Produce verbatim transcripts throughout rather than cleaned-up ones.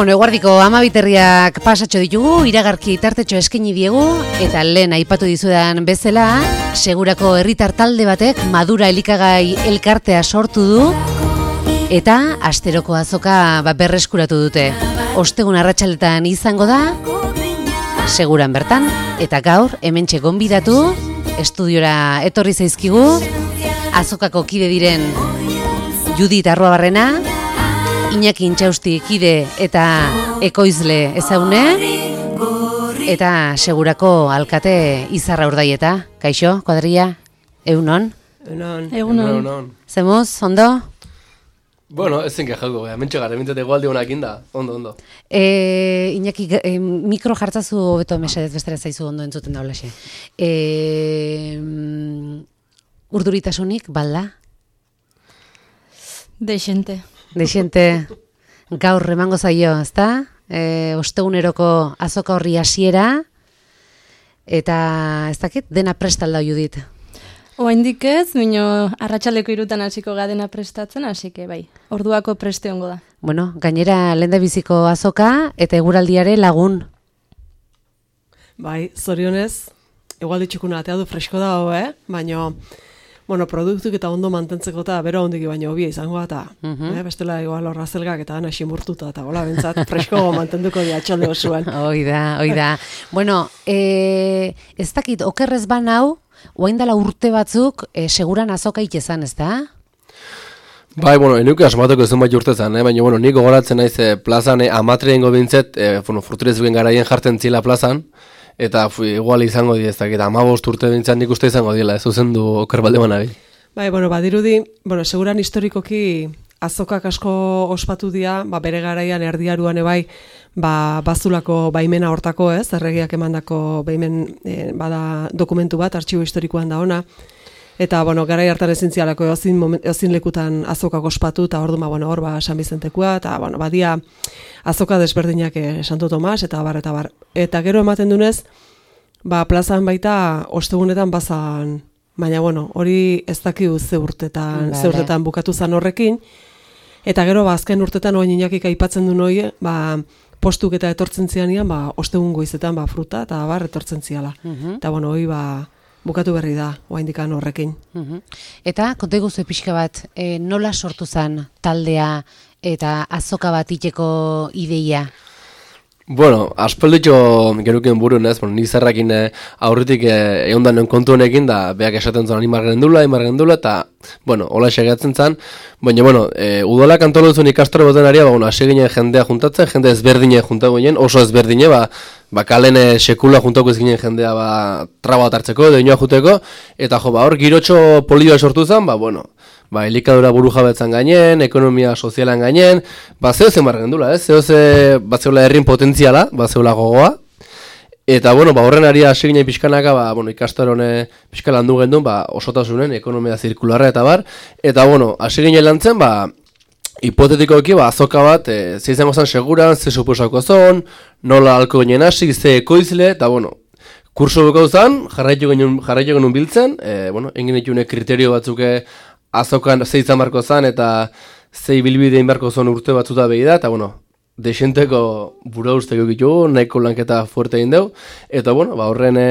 Bueno, eguardiko amabiterriak pasatxo ditugu, iragarki tartetxo eskaini diegu, eta lehen aipatu dizudan bezala, segurako herritar talde batek Madura elikagai elkartea sortu du, eta asteroko azoka ba, berreskuratu dute. Ostegun arratsaletan izango da, seguran bertan, eta gaur hementxe gonbidatu, estudiora etorri zaizkigu, azokako kide diren Judit Arruabarrena, Iñaki Intxausti kide eta ekoizle ezagune, eta segurako alkate Izarra Urdaieta. Kaixo, kuadrilla, egunon? Egunon. Egunon. Zemuz, ondo? Bueno, ez zen kejauko, mentxe gara, mintzat egualdi honak inda, ondo, ondo. E, Iñaki, e, mikro jartzazu hobeto mesedez bestera zaizu ondo entzuten da holaxe. E, urduritasunik, balda? Dexente. Dexente, gaur emango zaio, ezta? E, osteguneroko azoka horri hasiera, eta ez dakit, dena prestalda Judit. Oraindik ez, baina arratsaldeko hirutan hasiko ga dena prestatzen, hasi que bai. Orduako preste ongo da. Bueno, gainera lehendabiziko azoka eta eguraldiare lagun. Bai, zorionez, egualdi txukuna atea du fresko dago, eh? Baina bueno, produktuk eta ondo mantentzeko eta bero ondiki baino hobia izango eta uh-huh. eh, bestela igual horra zelgak eta ana ximurtuta eta gola bentzat fresko mantenduko di atxalde osoan. Hoi da, hoi da. Bueno, e, ez dakit, okerrez ban hau, oain dela urte batzuk e, seguran azokaik ezan, ez da? Bai, bueno, enuke asmatoko ezun bat urtezan, eh? Baina, bueno, nik gogoratzen naiz e, plazan e, amatreen bintzet, e, bueno, furturezuen garaien jartzen zila plazan, eta fu, igual izango di ez dakit, amabost urte bintzat nik uste izango dila, ez zuzendu oker balde manari. Bai, bueno, badirudi, bueno, seguran historikoki azokak asko ospatu dira, ba, bere garaian erdiaruan ebai, ba, bazulako baimena hortako, ez, erregiak emandako baimen e, bada dokumentu bat, artxibo historikoan da ona, eta, bueno, garai hartan ezin zialako ezin, ezin lekutan azokak ospatu, eta hor du, bueno, hor, ba, San Bizentekoa, eta, bueno, badia azoka desberdinak eh, Santo Tomas, eta bar, eta bar. Eta gero ematen dunez, ba, plazan baita, ostegunetan bazan, baina, bueno, hori ez dakiu ze urtetan, vale. ze urtetan bukatu zan horrekin, eta gero, ba, azken urtetan, oain Inakik aipatzen duen hori, ba, postuk eta etortzen zianian, ba, ostegun goizetan, ba, fruta, eta bar, etortzen ziala. Uh-huh. Eta, bueno, hori, ba, bukatu berri da, oaindikan horrekin. Uh-huh. Eta, konta iguzu pixka bat, e, nola sortu zen taldea eta azoka bat iteko ideia? Bueno, aspalditxo geruken burun ez, bueno, nizarrakin eh, aurritik eh, egon da non kontu honekin, da beak esaten zuen imar gendula, imar gendula, eta, bueno, hola esegatzen zen, baina, bueno, e, udolak antolu zuen ikastore boten ari, ba, bueno, asegine jendea juntatzen, jende ezberdine juntago ginen, oso ezberdine, ba, ba kalen sekula juntako ez ginen jendea, ba, traba bat hartzeko, edo inoa juteko, eta jo, ba, hor, girotxo polioa sortu zen, ba, bueno, ba, elikadura buru jabetzan gainen, ekonomia sozialan gainen, ba, zeo zen bargendula, ez? Zeo ze, ba, zeola herrin potentziala, ba, zeola gogoa, eta, bueno, ba, horren ari aseginei pixkanaka, ba, bueno, ikastaron pixka landu gendun, ba, osotasunen, ekonomia zirkularra eta bar, eta, bueno, aseginei lantzen, ba, hipotetikoki, ba, azoka bat, e, ze izango zen seguran, ze suposako zon, nola alko ginen hasi, ze ekoizle, eta, bueno, kurso bukau zen, jarraitu genuen, jarraitu genuen biltzen, e, bueno, engin ditune kriterio batzuke, azokan zei izan barko zan, eta zei bilbidein barko zon urte batzuta behi da, eta, bueno, desenteko bura usteko ditugu, nahiko lanketa fuerte egin deu, eta, bueno, ba, horren e,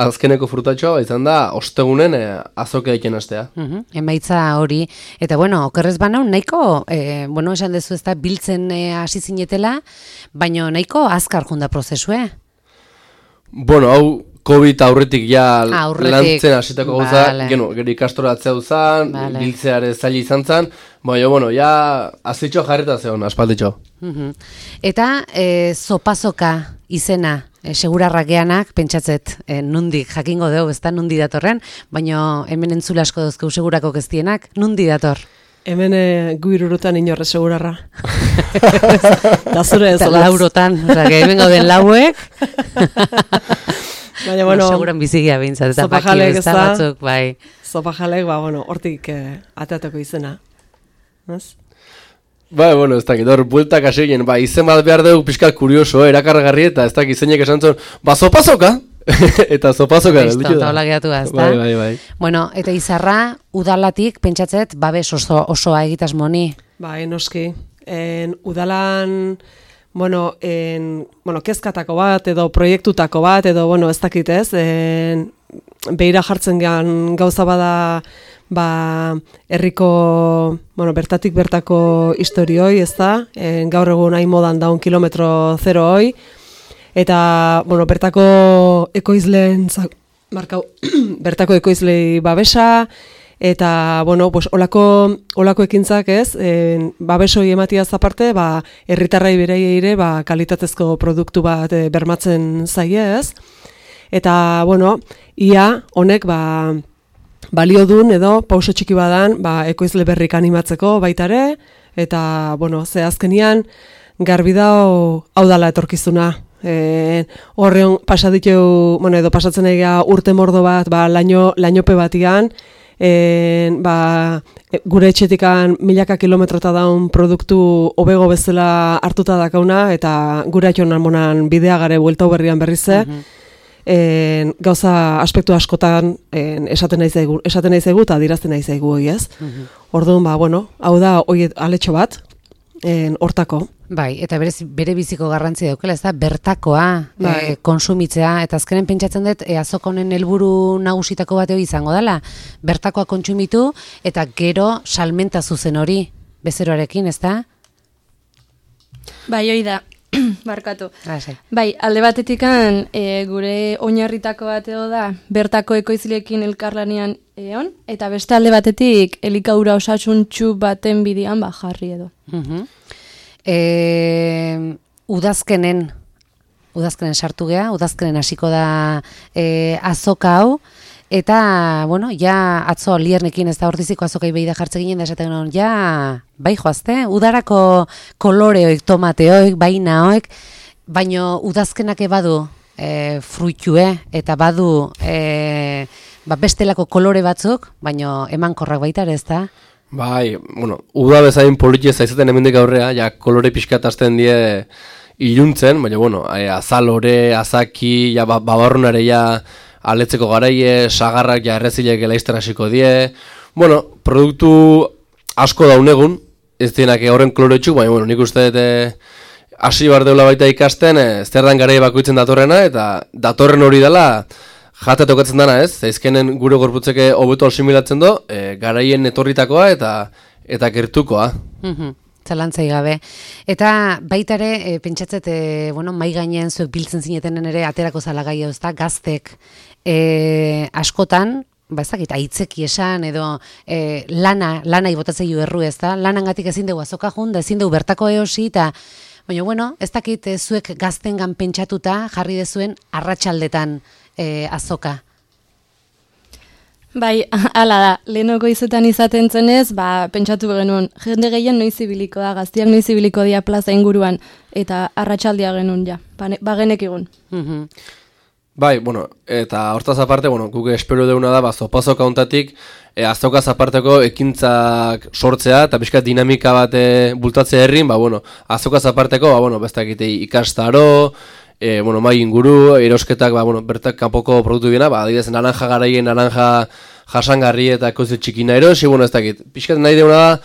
azkeneko frutatxoa izan da, ostegunen e, azoka eiken astea. Uh-huh. Emaitza hori, eta, bueno, okerrez banau, nahiko, e, bueno, esan dezu ez da, biltzen hasi e, zinetela, baina nahiko azkar junda prozesue. Bueno, hau, COVID aurretik ja aurretik. Lantzen hasitako gauza, vale. gero, gero ikastoratzea uzan, vale. Biltzeare zaila izan zan, baina, bueno, ja azitxo jarreta zeon, aspalditxo. Uh-huh. Eta e, zopazoka izena, e, segurarrakeanak, pentsatzet, e, nundik jakingo deu, ez da, nundi datorren, baina hemen entzule asko dozkeu segurako keztienak, nundi dator? Hemen e, guirurutan inorre segurarra. Da zure ez olaz. Laurotan, oza, hemen gauden lauek. Baina, bueno, seguran bizigia bintzat, eta baki ez da batzuk, bai. Zopajalek, ba, bueno, hortik eh, ateateko izena. Ez? Bai, bueno, ez dakit, hor, bueltak asegin, ba, izen bat behar dugu pixka kurioso, eh, erakargarri eta ez dakit izenek esan zuen, ba, zopazoka! Eta zopazoka gelditu da. Eta hola gehiatu da, ez da? Bai, bai, bai. Bueno, eta Izarra, udalatik, pentsatzet, babes oso, osoa egitas moni. Bai, noski. En, udalan, bueno, en, bueno, kezkatako bat, edo proiektutako bat, edo, bueno, ez dakit ez, en, behira jartzen gehan gauza bada, ba, herriko, bueno, bertatik bertako historioi, ez da, en, gaur egun nahi modan daun kilometro zero hoi, eta, bueno, bertako ekoizleen, markau, bertako ekoizlei babesa, eta, bueno, pues, olako, olako ekintzak ez, en, babesoi ematiaz aparte, ba, herritarrai berei ere, ba, kalitatezko produktu bat e, bermatzen zaie ez, eta, bueno, ia, honek, ba, balio dun edo, pauso txiki badan, ba, ekoizle berrik animatzeko baitare, eta, bueno, ze azkenian, garbi dau, hau dala etorkizuna. E, horreon pasaditu, bueno, edo pasatzen egia urte mordo bat, ba, laino, lainope batian, e, ba, gure etxetikan milaka kilometrota daun produktu hobego bezala hartuta dakauna, eta gure atxonan monan bidea gare bueltau berrian berrize, uh -huh. En, gauza aspektu askotan en, esaten nahi zaigu, esaten nahi zaigu eta dirazten nahi zaigu hoi ez. Uh -huh. Orduan, ba, bueno, hau da hoi aletxo bat, en, hortako. Bai, eta berez, bere biziko garrantzia daukela, ez da, bertakoa bai. e, konsumitzea, eta azkenen pentsatzen dut, e, azok honen helburu nagusitako bateo izango dela, bertakoa kontsumitu, eta gero salmenta zuzen hori, bezeroarekin, ez da? Bai, hoi da. Barkatu. Ah, sai. Bai, alde batetikan e, gure oinarritako bateo da bertako ekoizleekin elkarlanean egon, eta beste alde batetik elikadura osasuntsu baten bidean ba jarri edo. Uh-huh. e, udazkenen, udazkenen sartu gea, udazkenen hasiko da e, azoka hau, eta, bueno, ja atzo liernekin ez da hortiziko azokai behi da jartze ginen da esaten genuen, ja, bai joazte, udarako koloreoik, tomateoik, bainaoik, baino udazkenak badu e, fruitue, eta badu e, ba, bestelako kolore batzuk, baino emankorrak baita ere ez da? Bai, bueno, uda bezain politia zaizaten hemendik aurrea, ja kolore pixkat hasten die iluntzen, baina, bueno, e, azalore, azaki, ja, babarrunare ja, aletzeko garaie, sagarrak ja errezilek elaizten hasiko die. Bueno, produktu asko daunegun, ez dienak horren koloretxuk, baina bueno, nik uste dut hasi bar deula baita ikasten, e, zer dan garaie bakoitzen datorrena, eta datorren hori dela jate tokatzen dana, ez? Zaizkenen gure gorputzeke hobeto asimilatzen do, e, garaien etorritakoa eta eta gertukoa. Mhm. Zalantzai gabe. Eta baita ere, e, pentsatzet, e, bueno, mai gainean zuek biltzen zinetenen ere aterako zalagai hau, ezta, gaztek e, askotan, ba ezakit, aitzeki esan, edo e, lana, lana ibotatzei erru, ezta, lanangatik ezin dugu azoka jun, da ezin dugu bertako eosi, eta, baina, bueno, ez dakit e, zuek gaztengan pentsatuta jarri dezuen arratsaldetan e, azoka. Bai, hala da, lehenoko izetan izaten zenez, ba, pentsatu genuen, jende gehien noiz ibiliko da, gaztiak noiz ibiliko dia plaza inguruan, eta arratsaldia genuen ja, bagenek egun. Mhm. Bai, bueno, eta hortaz aparte, bueno, guk espero deuna da, ba, zopazoka hontatik, e, azokaz aparteko ekintzak sortzea, eta pixka dinamika bat e, bultatzea herrin, ba, bueno, azokaz aparteko, ba, bueno, bestakite ikastaro, e, bueno, mai inguru, erosketak, ba, bueno, bertak kanpoko produktu biena, ba, adibidez, naranja garaien, naranja jasangarri eta koizu txikina erosi, bueno, ez dakit. Pixkat nahi deuna da,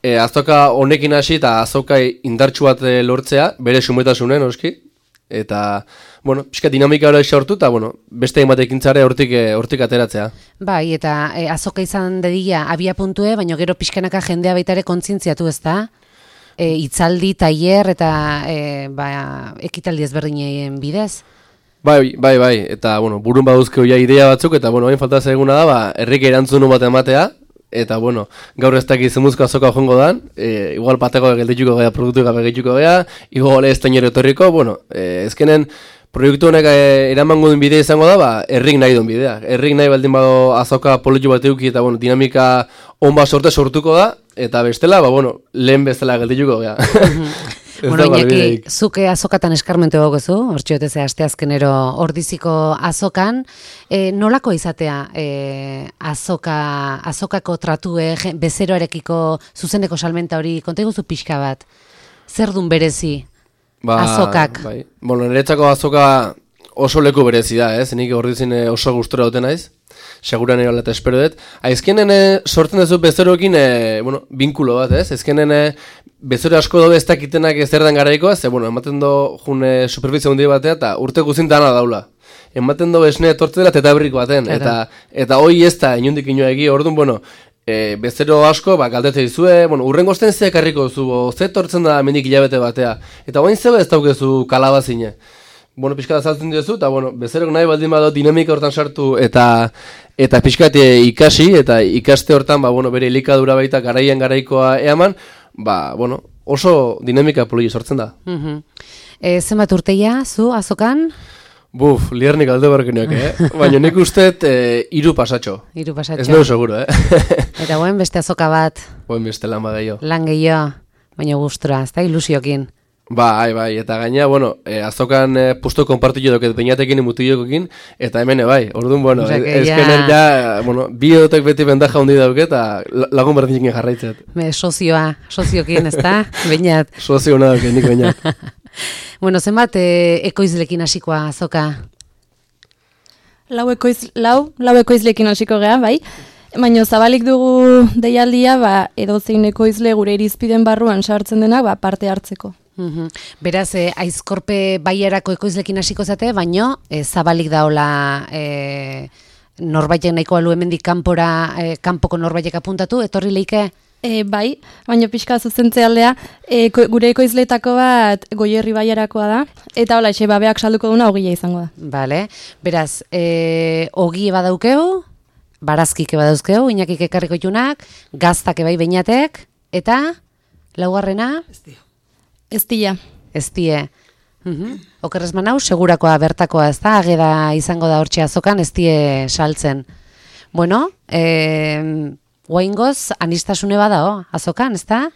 e, azoka honekin hasi eta azoka indartsu bat e, lortzea, bere sumetasunen, oski, eta, bueno, pixka dinamika hori sortu, eta, bueno, beste egin batekin zare hortik, e, hortik ateratzea. Bai, eta e, azoka izan dedila abia puntue, baina gero pixkanaka jendea baita ere kontzientziatu, ez da? E, itzaldi, tailer eta e, ba, ekitaldi ezberdinen bidez. Bai, bai, bai, eta, bueno, burun baduzke hoia idea batzuk, eta, bueno, hain falta zaiguna da, ba, herrik erantzunu bat ematea, eta, bueno, gaur ez dakiz zemuzko azoka jongo dan, e, igual pateko geldituko gea, produktu gabe geldituko gea, igual ez tainero etorriko, bueno, e, ezkenen, proiektu honek e, eramango duen bidea izango da, ba, herrik nahi duen bidea. Herrik nahi baldin bado azoka politu bat euki, eta, bueno, dinamika onba sorte sortuko da, eta bestela, ba, bueno, lehen bestela geldituko gea. Bueno, Iñaki, zuke azokatan eskarmentu gogozu, hortxoetez asteazkenero ordiziko azokan, e, nolako izatea e, azoka, azokako tratue, bezeroarekiko zuzeneko salmenta hori, konta iguzu pixka bat, zer dun berezi ba, azokak? Bai. Bueno, niretzako azoka oso leku berezi da, ez? Nik ordizin oso gustura dute naiz. seguran erola eta espero dut. Aizkenen e, sortzen duzu bezeroekin, e, bueno, binkulo bat, ez? Aizkenen e, bezero asko dobe ez dakitenak ez erdan garaikoa, ze, bueno, ematen do june superfizia hundi batea, eta urte guzin dana daula. Ematen do esne etortze dela tetabrik baten, eta eta hoi ez da inundik inoa egi, orduan, bueno, e, bezero asko, ba, galdete dizue, bueno, urrengo osten ze ekarriko zu, ze etortzen da mendik hilabete batea, eta oain zebe ez daukezu kalabazine. Bueno, pixkat azaltzen diozu, eta bueno, bezerok nahi baldin bado dinamika hortan sartu, eta eta pixkat ikasi, eta ikaste hortan, ba, bueno, bere elikadura baita garaian garaikoa eaman, ba, bueno, oso dinamika poli sortzen da. Uh-huh. E, zenbat urteia, zu, azokan? Buf, liarnik alde barkeneak, eh? Baina nik usteet e, iru pasatxo. Iru pasatxo. Ez nago seguro, eh? Eta guen beste azoka bat. Guen beste lan bageio. Lan gehiago, baina gustura, ez da ilusiokin. Bai, bai, eta gaina, bueno, e, azokan e, pusto konpartillo doket beinatekin imutiokokin, eta hemen, bai, orduan, bueno, o sea, ezkenen ja, bueno, bi edotek beti bendaja hundi dauke, eta lagun berdinkin jarraitzet. Me, sozioa, soziokin, ez da, beinat. Sozio hona dauke, nik beinat. Bueno, zenbat e, ekoizlekin hasikoa azoka? Lau, ekoiz, lau, lau ekoizlekin hasiko gea, bai. Baina zabalik dugu deialdia, ba, edozein ekoizle gure irizpiden barruan sartzen denak, ba, parte hartzeko. Uhum. Beraz, e, Aizkorpe Baiarako ekoizlekin hasiko zate, baino e, zabalik daola e, norbaitek nahiko alu hemendik kanpora, e, kanpoko norbaitek apuntatu, etorri leike? E, bai, baina pixka zuzentze aldea, e, ko, gure ekoizletako bat Goierri Baiarakoa da, eta hola, xe, babeak salduko duna ogia izango da. Bale, beraz, e, ogi badaukeu, barazkik badauzkeu, inakik ekarriko junak, gaztak ebai beinatek, eta laugarrena? Ez dio. Ez dira. Ez die. Uhum. Okerrez manau, segurakoa bertakoa, ez da, ageda izango da hortxe azokan, ez die saltzen. Bueno, e, guaingoz, anistasune badao, azokan, ez da?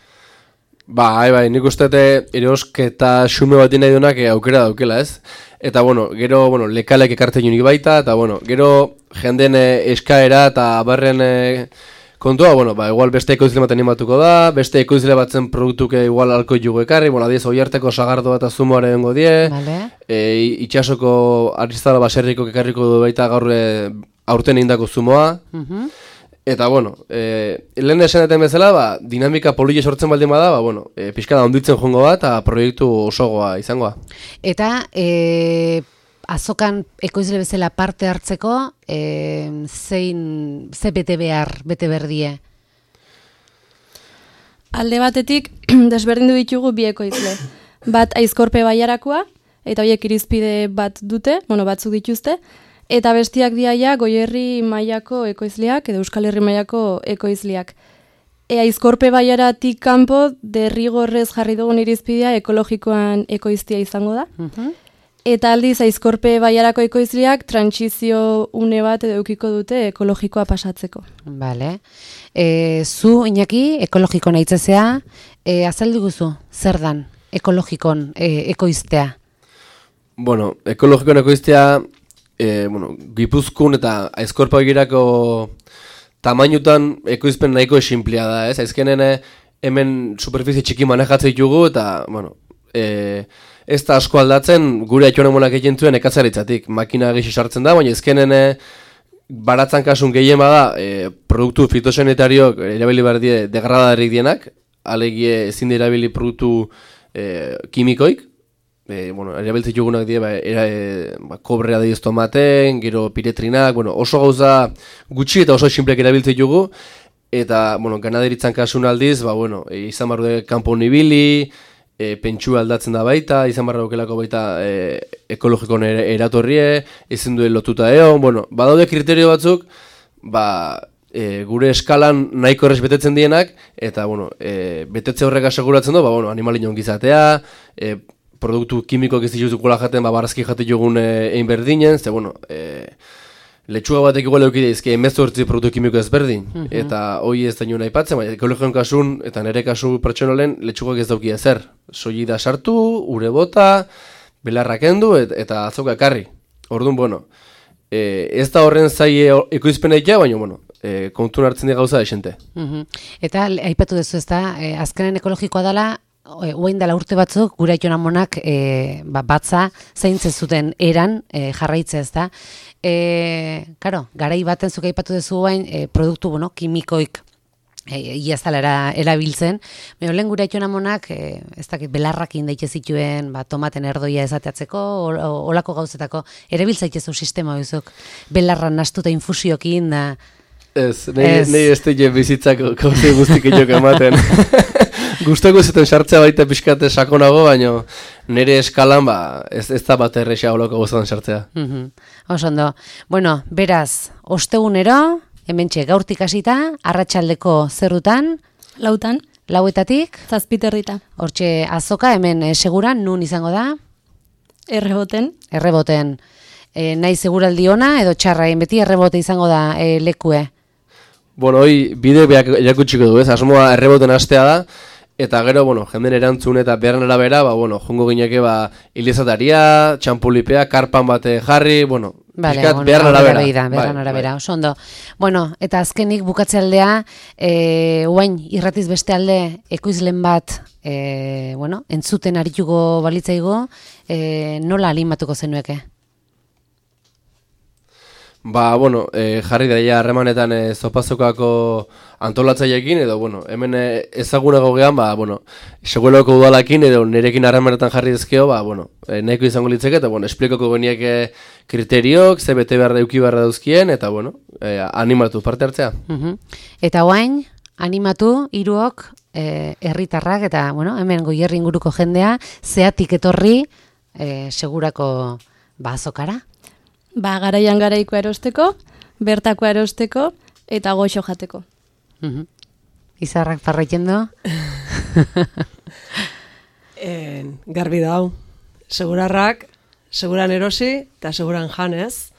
Bai, bai, nik uste erosketa xume bat nahi duenak aukera daukela, ez? Eta, bueno, gero, bueno, lekalek ekartzen junik baita, eta, bueno, gero jenden eskaera eta barren kontua, bueno, ba, igual beste ekoizle bat animatuko da, beste ekoizle batzen produktuke igual alko jugu ekarri, bueno, adiez, oiarteko sagardo eta zumoare dengo die, vale. e, itxasoko arriztala baserriko ekarriko du baita gaur aurten indako zumoa, Mhm. eta, bueno, e, lehen esanetan bezala, ba, dinamika polile sortzen baldin bada, ba, bueno, e, pixka da onditzen jongo bat, eta proiektu osogoa izangoa. Eta e, azokan ekoizle bezala parte hartzeko, e, zein, ze bete behar, bete berdie? Alde batetik, desberdindu ditugu bi ekoizle. Bat Aizkorpe Baiarakoa, eta horiek irizpide bat dute, bueno, batzuk dituzte, eta bestiak diaia Goierri mailako ekoizleak, edo Euskal Herri mailako ekoizleak. E, Aizkorpe Baiaratik kanpo, derrigorrez jarri dugun irizpidea ekologikoan ekoiztia izango da. Mhm. Eta aldiz Aizkorpe Baiarako ekoizleak trantsizio une bat edo eukiko dute ekologikoa pasatzeko. Vale. E, zu, Iñaki, ekologiko naitzezea, e, azaldu guzu, zer dan ekologikon e, ekoiztea? Bueno, ekologikoan ekoiztea, e, bueno, Gipuzkoan eta Aizkorpa Begirako tamainutan ekoizpen nahiko esinplia da, ez? Aizkenen hemen superfizie txiki manejatzen ditugu eta, bueno, e, ez da asko aldatzen gure atxonemonak egin zuen ekatzaritzatik. Makina gixi sartzen da, baina ezkenen baratzan kasun gehien bada e, produktu fitosanitariok erabili behar die degradarik dienak, alegie ezin erabili produktu e, kimikoik, e, bueno, erabiltzen jugunak die, ba, era, e, ba, kobrea dioz tomaten, gero piretrinak, bueno, oso gauza gutxi eta oso sinplek erabiltzen jugu, eta, bueno, ganaderitzan kasun aldiz, ba, bueno, e, izan barru kanpo nibili, E, pentsua aldatzen da baita, izan barra aukelako baita e, ekologikon er, eratorrie, ezin duen lotuta egon, bueno, badaude kriterio batzuk, ba, e, gure eskalan nahiko errez betetzen dienak, eta, bueno, e, betetze horrek aseguratzen du, ba, bueno, animalin ongizatea, e, produktu kimikoak ez dituzukola jaten, ba, barazki jate jogun e, egin berdinen, ze, bueno, e, letxuga batek igual eukide izke emezortzi produktu kimiko ezberdin, mm -hmm. eta hoi ez da nioen aipatzen, baina ekologion kasun, eta nire kasu pertsonolen, letxugak ez dauki ezer. Soili da sartu, ure bota, belarrak endu, et, eta azoka ekarri. Orduan, bueno, e, ez da horren zai ekoizpenekia, baina, bueno, e, kontun hartzen di gauza desente. Mm -hmm. Eta aipatu duzu ez da, e, azkenen ekologikoa dela, oain dela urte batzuk, gura itxon amonak e, ba, batza zaintzen zuten eran e, jarraitze ez da. E, karo, garai baten zuk aipatu duzu bain, e, produktu, bueno, kimikoik ia ez dela erabiltzen. Baina lehen gura itxon amonak, e, ez dakit, belarrakin daite zituen, ba, tomaten erdoia ezateatzeko, olako gauzetako, erabiltzaitezu sistema bizuk, belarra nastuta infusiokin da. Ez, nahi ez teile bizitzako kauze guztik itiok ematen. Gustoko zuten sartzea baita pixkate sakonago, baina nire eskalan ba, ez, ez da bat errexea olako guztan sartzea. Mm-hmm. Osondo. Bueno, beraz, ostegunero, hementxe gaurtik hasita, arratsaldeko zerrutan, Lautan, lauetatik, zazpiterrita, hortxe azoka, hemen e, seguran, nun izango da? erreboten, Erreboten. E, nahi seguraldi ona, edo txarra, beti errebote izango da e, lekue. Bueno, hoi bide beak erakutsiko du, ez? Asmoa erreboten hastea da, eta gero, bueno, jenden erantzun eta beharren arabera, ba, bueno, jongo gineke, ba, ilizataria, txampulipea, karpan bate jarri, bueno, Vale, pixkat bueno, beharren arabera. Beharren Bai, arabera, bai. oso ondo. Bueno, eta azkenik bukatze aldea, e, uain, irratiz beste alde, ekoizlen bat, e, bueno, entzuten arituko balitzaigo, e, nola alimatuko zenueke? Ba, bueno, e, jarri daia harremanetan e, zopazokako antolatzaileekin, edo, bueno, hemen e, ezagunago gehan, ba, bueno, segueloko udalakin, edo nerekin harremanetan jarri dezkeo, ba, bueno, e, nahiko izango litzeke, eta, bueno, esplikoko genieke kriteriok, ze bete behar dauki beharra dauzkien, eta, bueno, e, animatu parte hartzea. Uh-huh. Eta oain, animatu, hiruok, e, herritarrak, eta, bueno, hemen Goierri inguruko jendea, zeatik etorri, e, segurako, ba, azokara. ba, garaian garaiko erosteko, bertako erosteko, eta goxo jateko. Uh-huh. Izarrak parraiten du? En, garbi dau. Segurarrak, seguran erosi, eta seguran janez,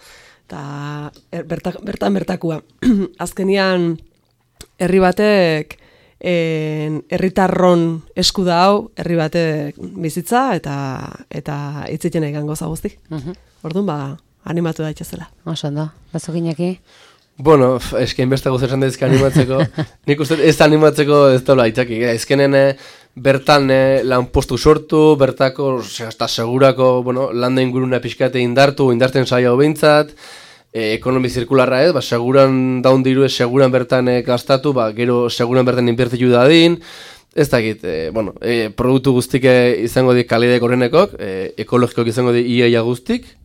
eta er, berta, bertan bertakua. Azkenian, herri batek, en, herritarron esku da hau, herri batek bizitza, eta eta itziten egin goza guzti. Uh-huh. Orduan, ba, animatu daitezela. Oso ondo, bazukinaki? Bueno, esken beste gauza esan daizka animatzeko. Nik uste ez animatzeko ez daula aitzaki. Ezkenen e, bertan e, lanpostu sortu, bertako, hasta segurako, bueno, landa inguruna pixkate indartu, indarten saia hobeintzat, e, ekonomi zirkularra ez, ba, seguran daun diru ez, seguran bertan e, gastatu, ba, gero seguran bertan inbertitu dadin, ez dakit, e, bueno, e, produktu guztik e, izango di kalidek horrenekok, e, ekologikok izango di iaia guztik,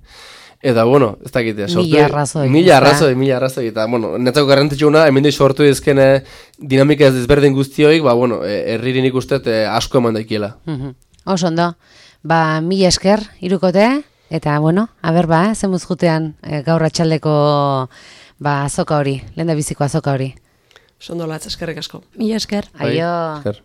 eta, bueno, ez dakit, sortu... Mila arrazoi. Mila arrazoi, mila arrazoi, eta, bueno, netzako garrantzitsuna, hemen di sortu izken e, dinamika ez desberdin guztioik, ba, bueno, e, herririn ikustet e, asko eman daikiela. Uh-huh. Oso ondo, ba, mila esker, irukote, eta, bueno, aber ba, eh, zemuz jutean e, gaur atxaldeko ba, azoka hori, lehen da biziko azoka hori. Sondolatz, eskerrik asko. Mila esker. Aio. Bai, esker.